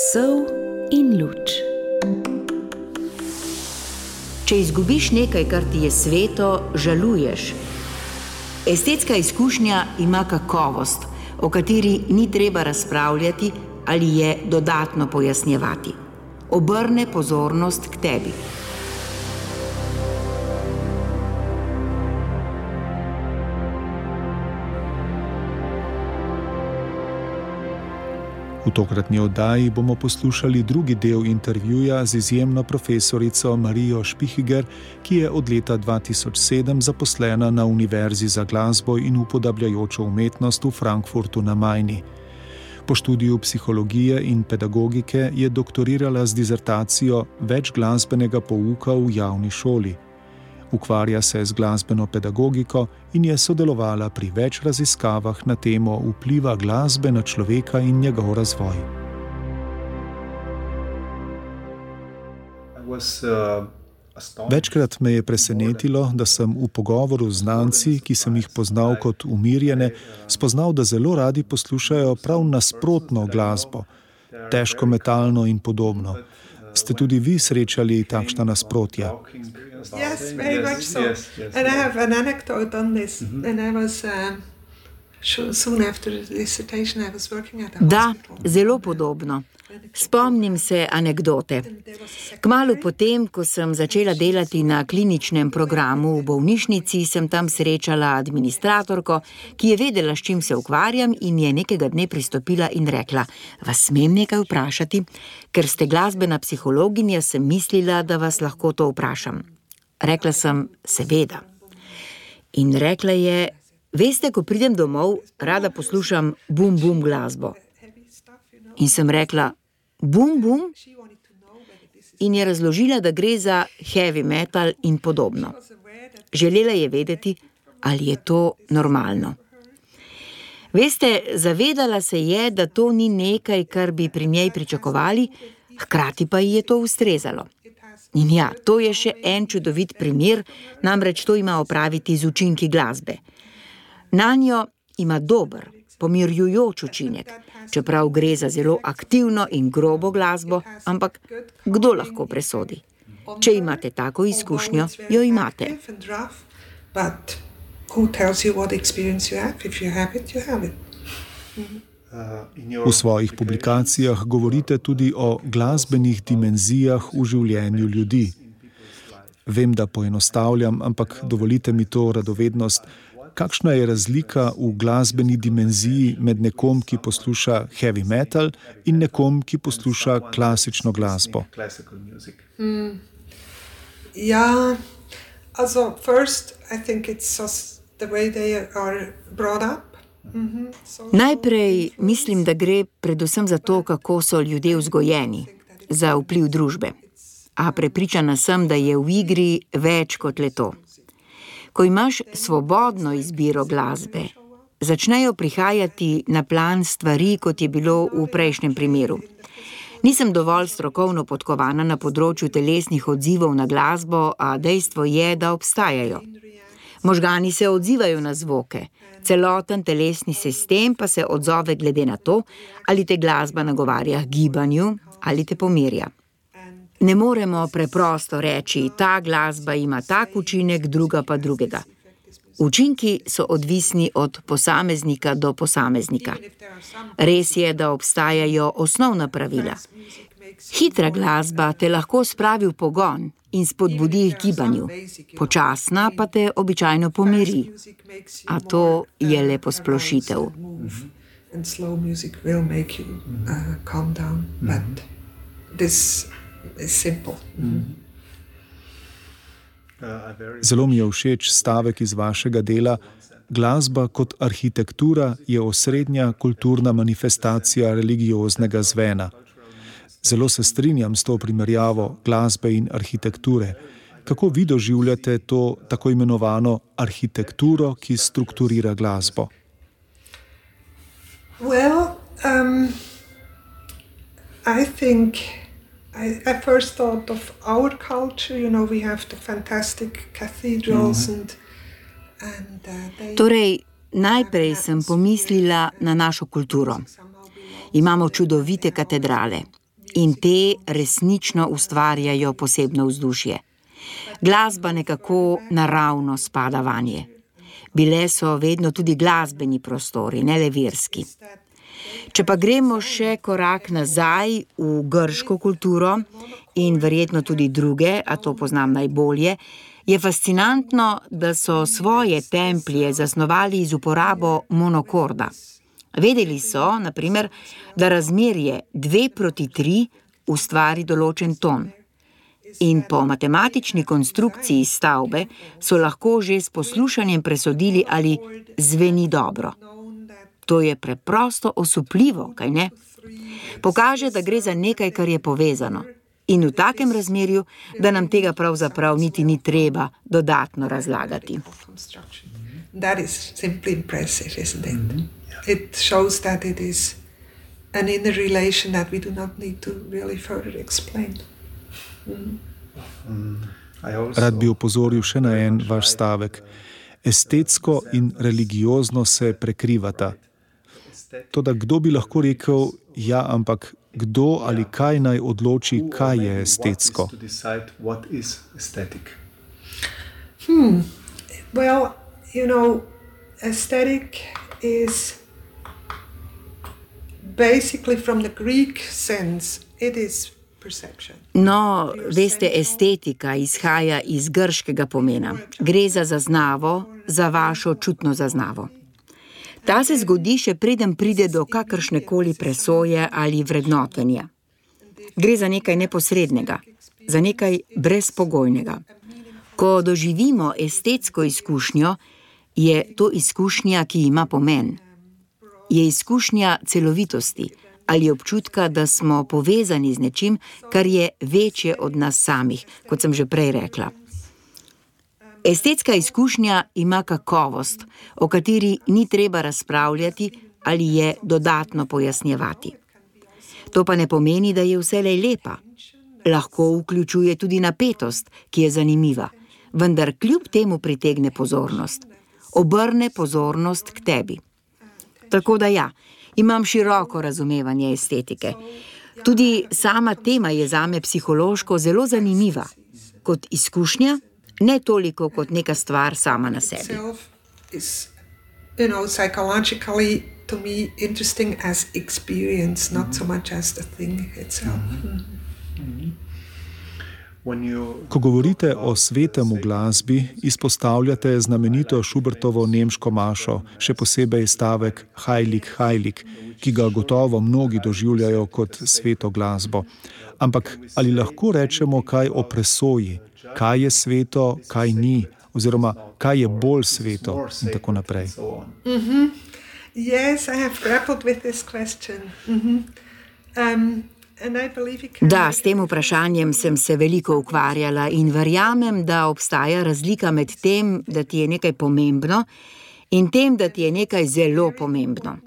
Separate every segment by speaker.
Speaker 1: Sol in luč. Če izgubiš nekaj, kar ti je sveto, žaluješ. Estetska izkušnja ima kakovost, o kateri ni treba razpravljati ali je dodatno pojasnjevati. Obrne pozornost k tebi.
Speaker 2: V tokratni oddaji bomo poslušali drugi del intervjuja z izjemno profesorico Marijo Špihiger, ki je od leta 2007 zaposlena na Univerzi za glasbo in upodabljajočo umetnost v Frankfurtu na Majni. Po študiju psihologije in pedagogike je doktorirala z dizertacijo Več glasbenega pouka v javni šoli. Ukvarja se z glasbeno pedagogiko in je sodelovala pri več raziskavah na temo vpliva glasbe na človeka in njegov razvoj. Večkrat me je presenetilo, da sem v pogovoru z znanci, ki sem jih poznal kot umirjene, spoznal, da zelo radi poslušajo prav nasprotno glasbo, težko metalno in podobno. Ste tudi vi srečali takšna nasprotja?
Speaker 3: Yes, very much so. And I have an anecdote on this. And I was soon after the dissertation I was working at a hospital.
Speaker 1: Da, zelo podobno. Spomnim se anekdote. Kmalu potem, ko sem začela delati na kliničnem programu v bolnišnici, sem tam srečala administratorko, ki je vedela, s čim se ukvarjam in je nekega dne pristopila in rekla: "Vas smem nekaj vprašati? Ker ste glasbena psihologinja, sem mislila, da vas lahko to vprašam." Rekla sem: "Seveda." In rekla je: "Veste, ko pridem domov, rada poslušam bum glasbo." In sem rekla: "Bum?" In je razložila, da gre za heavy metal in podobno. Želela je vedeti, ali je to normalno. Veste, zavedala se je, da to ni nekaj, kar bi pri njej pričakovali, hkrati pa ji je to ustrezalo. In ja, to je še en čudovit primer, namreč to ima opraviti z učinki glasbe. Nanjo ima dober, pomirjujoč učinek, čeprav gre za zelo aktivno in grobo glasbo, ampak kdo lahko presodi? Če imate tako izkušnjo, jo imate.
Speaker 2: V svojih publikacijah govorite tudi o glasbenih dimenzijah v življenju ljudi. Vem, da poenostavljam, ampak dovolite mi to radovednost. Kakšna je razlika v glasbeni dimenziji med nekom, ki posluša heavy metal, in nekom, ki posluša klasično glasbo?
Speaker 3: Ja, also first I think it's just the way they are brought up.
Speaker 1: Najprej mislim, da gre predvsem za to, kako so ljudje vzgojeni, za vpliv družbe. A prepričana sem, da je v igri več kot le to. Ko imaš svobodno izbiro glasbe, začnejo prihajati na plan stvari, kot je bilo v prejšnjem primeru. Nisem dovolj strokovno podkovana na področju telesnih odzivov na glasbo, a dejstvo je, da obstajajo. Možgani se odzivajo na zvoke, celoten telesni sistem pa se odzove glede na to, ali te glasba nagovarja k gibanju ali te pomirja. Ne moremo preprosto reči, ta glasba ima tak učinek, druga pa drugega. Učinki so odvisni od posameznika do posameznika. Res je, da obstajajo osnovna pravila. Hitra glasba te lahko spravi v pogon in spodbudi k gibanju, počasna pa te običajno pomiri. A to je le posplošitev.
Speaker 2: Zelo mi je všeč stavek iz vašega dela: "Glasba kot arhitektura je osrednja kulturna manifestacija religioznega zvena." Zelo se strinjam s to primerjavo glasbe in arhitekture. Kako vi doživljate to tako imenovano arhitekturo, ki strukturira glasbo?
Speaker 3: Well, I think I first thought of our culture, we have the fantastic cathedrals and
Speaker 1: Torej, najprej sem pomislila na našo kulturo. Imamo čudovite katedrale. in te resnično ustvarjajo posebno vzdušje. Glasba nekako naravno spada vanje. Bile so vedno tudi glasbeni prostori, ne le verski. Če pa gremo še korak nazaj v grško kulturo in verjetno tudi druge, a to poznam najbolje, je fascinantno, da so svoje templje zasnovali z uporabo monokorda. Vedeli so, na primer, da razmerje 2:3 ustvari določen ton. In po matematični konstrukciji stavbe so lahko že s poslušanjem presodili, ali zveni dobro. To je preprosto osupljivo, kaj ne? Pokaže, da gre za nekaj, kar je povezano. In v takem razmerju, da nam tega pravzaprav niti ni treba dodatno razlagati.
Speaker 3: That is simply impressive, isn't it? It shows that it is an inner relation that we do not need to really further explain.
Speaker 2: Rad bi opozoril še na en vaš stavek. Estetsko in religiozno se prekrivata. Toda kdo bi lahko rekel, ja, ampak kdo ali kaj naj odloči, kaj je estetsko?
Speaker 3: Well, aesthetic is basically from the Greek sense, it is perception.
Speaker 1: No, veste, estetika izhaja iz grškega pomena. Gre za zaznavo, za vašo čutno zaznavo. Ta se zgodi, še preden pride do kakršnekoli presoje ali vrednotenja. Gre za nekaj neposrednega, za nekaj brezpogojnega. Ko doživimo estetsko izkušnjo, je to izkušnja, ki ima pomen. Je izkušnja celovitosti ali občutka, da smo povezani z nečim, kar je večje od nas samih, kot sem že prej rekla. Estetska izkušnja ima kakovost, o kateri ni treba razpravljati ali je dodatno pojasnjevati. To pa ne pomeni, da je vselej lepa. Lahko vključuje tudi napetost, ki je zanimiva, vendar kljub temu pritegne pozornost. Obrne pozornost k tebi. Tako da ja, imam široko razumevanje estetike. Tudi sama tema je zame psihološko zelo zanimiva. Kot izkušnja, ne toliko kot neka stvar sama na sebi.
Speaker 3: Psychologically to me interesting as experience, not so much as the thing itself.
Speaker 2: Ko govorite o svetem v glasbi, izpostavljate znamenito Schubertovo nemško mašo, še posebej stavek Heilig, Heilig, ki ga gotovo mnogi doživljajo kot sveto glasbo. Ampak ali lahko rečemo kaj o presoji? Kaj je sveto, kaj ni, oziroma kaj je bolj sveto in tako naprej.
Speaker 3: Yes, I have grappled with this question.
Speaker 1: Da, s tem vprašanjem sem se veliko ukvarjala in verjamem, da obstaja razlika med tem, da ti je nekaj pomembno in tem, da ti je nekaj zelo pomembno.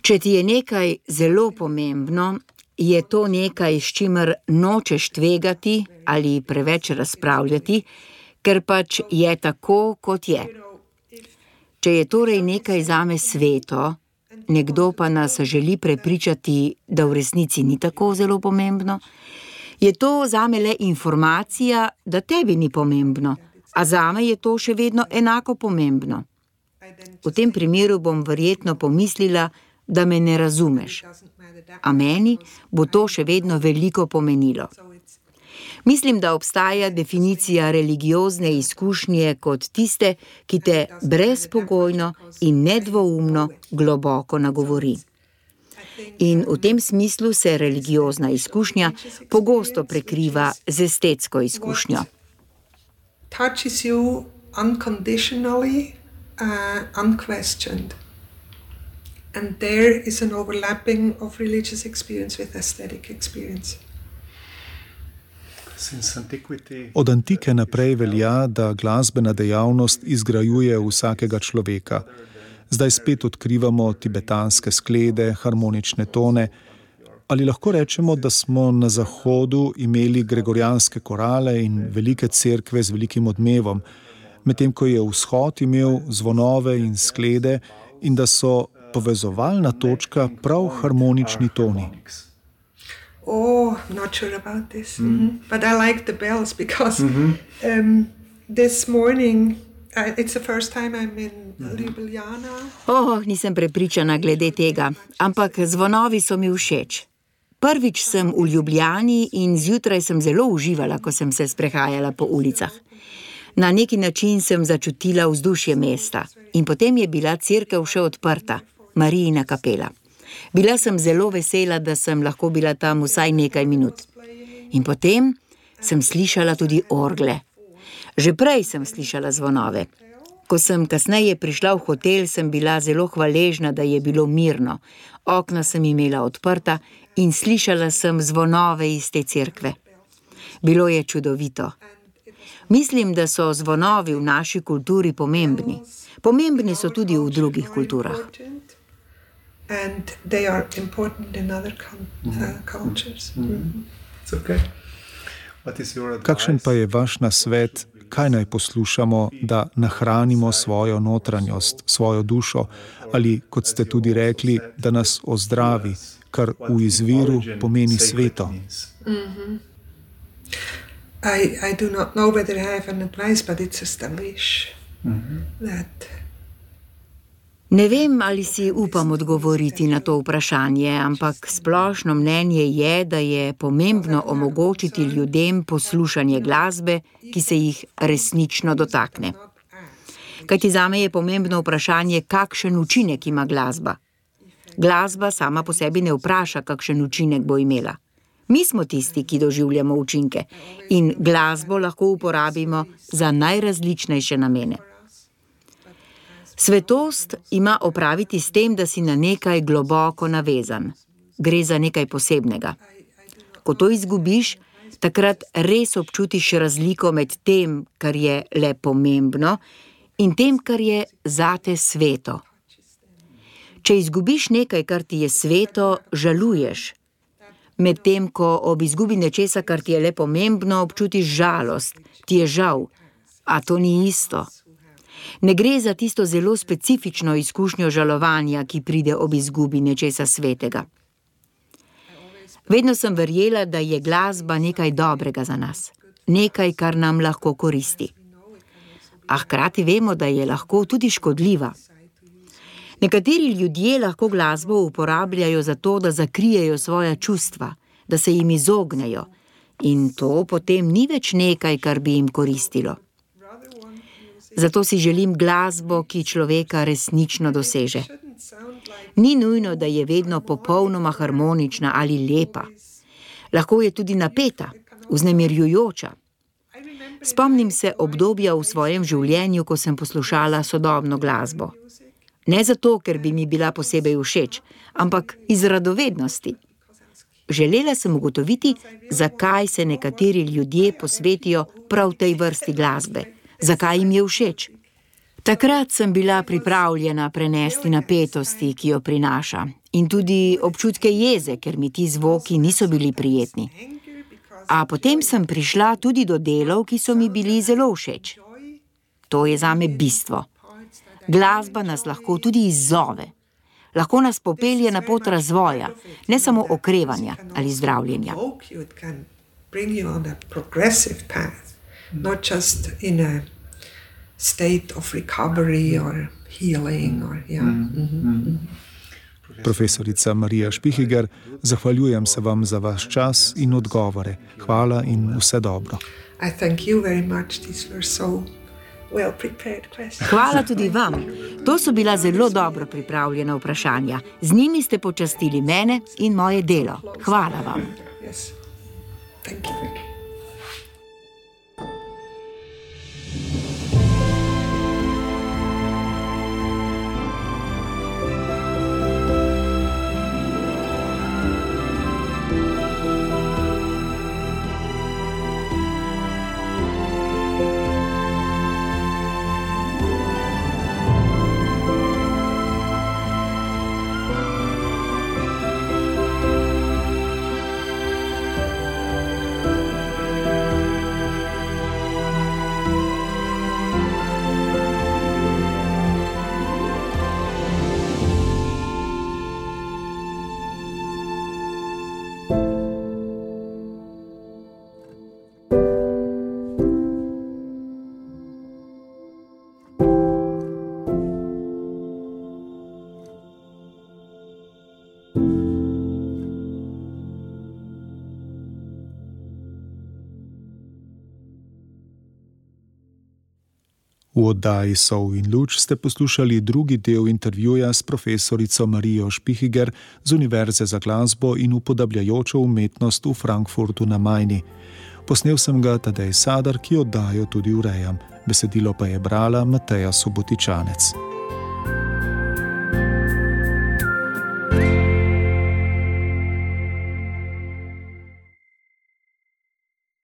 Speaker 1: Če ti je nekaj zelo pomembno, je to nekaj, s čimer nočeš tvegati ali preveč razpravljati, ker pač je tako, kot je. Če je torej nekaj zame sveto, nekdo pa nas želi prepričati, da v resnici ni tako zelo pomembno, je to zame le informacija, da tebi ni pomembno, a zame je to še vedno enako pomembno. V tem primeru bom verjetno pomislila, da me ne razumeš, a meni bo to še vedno veliko pomenilo. Mislim, da obstaja definicija religiozne izkušnje kot tiste, ki te brezpogojno in nedvoumno globoko nagovori. In v tem smislu se religiozna izkušnja pogosto prekriva z estetsko izkušnjo.
Speaker 3: Touches you unconditionally, unquestioned. And there is an overlapping of religious experience with aesthetic experience.
Speaker 2: Od antike naprej velja, da glasbena dejavnost izgrajuje vsakega človeka. Zdaj spet odkrivamo tibetanske sklede, harmonične tone. Ali lahko rečemo, da smo na Zahodu imeli gregorijanske korale in velike cerkve z velikim odmevom, medtem ko je Vzhod imel zvonove in sklede in da so povezovalna točka prav harmonični toni?
Speaker 3: Oh, I'm not sure about this. But I like the bells because this morning, it's the first time I'm in Ljubljana.
Speaker 1: Nisem prepričana glede tega, ampak zvonovi so mi všeč. Prvič sem v Ljubljani in zjutraj sem zelo uživala, ko sem se sprehajala po ulicah. Na neki način sem začutila vzdušje mesta in potem je bila cerkev še odprta, Marijina kapela. Bila sem zelo vesela, da sem lahko bila tam vsaj nekaj minut. In potem sem slišala tudi orgle. Že prej sem slišala zvonove. Ko sem kasneje prišla v hotel, sem bila zelo hvaležna, da je bilo mirno. Okna sem imela odprta in slišala sem zvonove iz te cerkve. Bilo je čudovito. Mislim, da so zvonovi v naši kulturi pomembni. Pomembni so tudi v drugih kulturah.
Speaker 3: And they are important in other cultures.
Speaker 2: Kakšen pa je vaš nasvet, kaj naj poslušamo, da nahranimo svojo notranjost, svojo dušo, ali, kot ste tudi rekli, da nas ozdravi, kar v izviru pomeni sveto?
Speaker 3: I do not know whether I have an advice, but it's just a wish that...
Speaker 1: Ne vem, ali si upam odgovoriti na to vprašanje, ampak splošno mnenje je, da je pomembno omogočiti ljudem poslušanje glasbe, ki se jih resnično dotakne. Kajti zame je pomembno vprašanje, kakšen učinek ima glasba. Glasba sama po sebi ne vpraša, kakšen učinek bo imela. Mi smo tisti, ki doživljamo učinke in glasbo lahko uporabimo za najrazličnejše namene. Svetost ima opraviti s tem, da si na nekaj globoko navezan. Gre za nekaj posebnega. Ko to izgubiš, takrat res občutiš razliko med tem, kar je le pomembno, in tem, kar je zate sveto. Če izgubiš nekaj, kar ti je sveto, žaluješ. Medtem ko ob izgubi nečesa, kar ti je le pomembno, občutiš žalost, ti je žal, a to ni isto. Ne gre za tisto zelo specifično izkušnjo žalovanja, ki pride ob izgubi nečesa svetega. Vedno sem verjela, da je glasba nekaj dobrega za nas, nekaj, kar nam lahko koristi. A hkrati vemo, da je lahko tudi škodljiva. Nekateri ljudje lahko glasbo uporabljajo za to, da zakrijejo svoja čustva, da se jim izognejo, in to potem ni več nekaj, kar bi jim koristilo. Zato si želim glasbo, ki človeka resnično doseže. Ni nujno, da je vedno popolnoma harmonična ali lepa. Lahko je tudi napeta, vznemirjujoča. Spomnim se obdobja v svojem življenju, ko sem poslušala sodobno glasbo. Ne zato, ker bi mi bila posebej všeč, ampak iz radovednosti. Želela sem ugotoviti, zakaj se nekateri ljudje posvetijo prav tej vrsti glasbe. Zakaj jim je všeč? Takrat sem bila pripravljena prenesti napetosti, ki jo prinaša, in tudi občutke jeze, ker mi ti zvoki niso bili prijetni. A potem sem prišla tudi do delov, ki so mi bili zelo všeč. To je zame bistvo. Glasba nas lahko tudi izzove. Lahko nas popelje na pot razvoja, ne samo okrevanja ali zdravljenja.
Speaker 3: Not just in a state of recovery or healing.
Speaker 2: Profesorica Marija Špihiger, zahvaljujem se vam za vaš čas in odgovore. Hvala in vse dobro.
Speaker 3: I thank you very much. These were so well prepared questions.
Speaker 1: Hvala tudi vam. To so bila zelo dobro pripravljena vprašanja. Z njimi ste počastili mene in moje delo. Hvala vam.
Speaker 3: Yes. Thank you.
Speaker 2: V oddaji Sol in luč ste poslušali drugi del intervjuja s profesorico Marijo Špihiger z Univerze za glasbo in upodabljajočo umetnost v Frankfurtu na Majni. Posnel sem ga Tadej Sadar, ki oddajo tudi urejam. Besedilo pa je brala Mateja Subotičanec.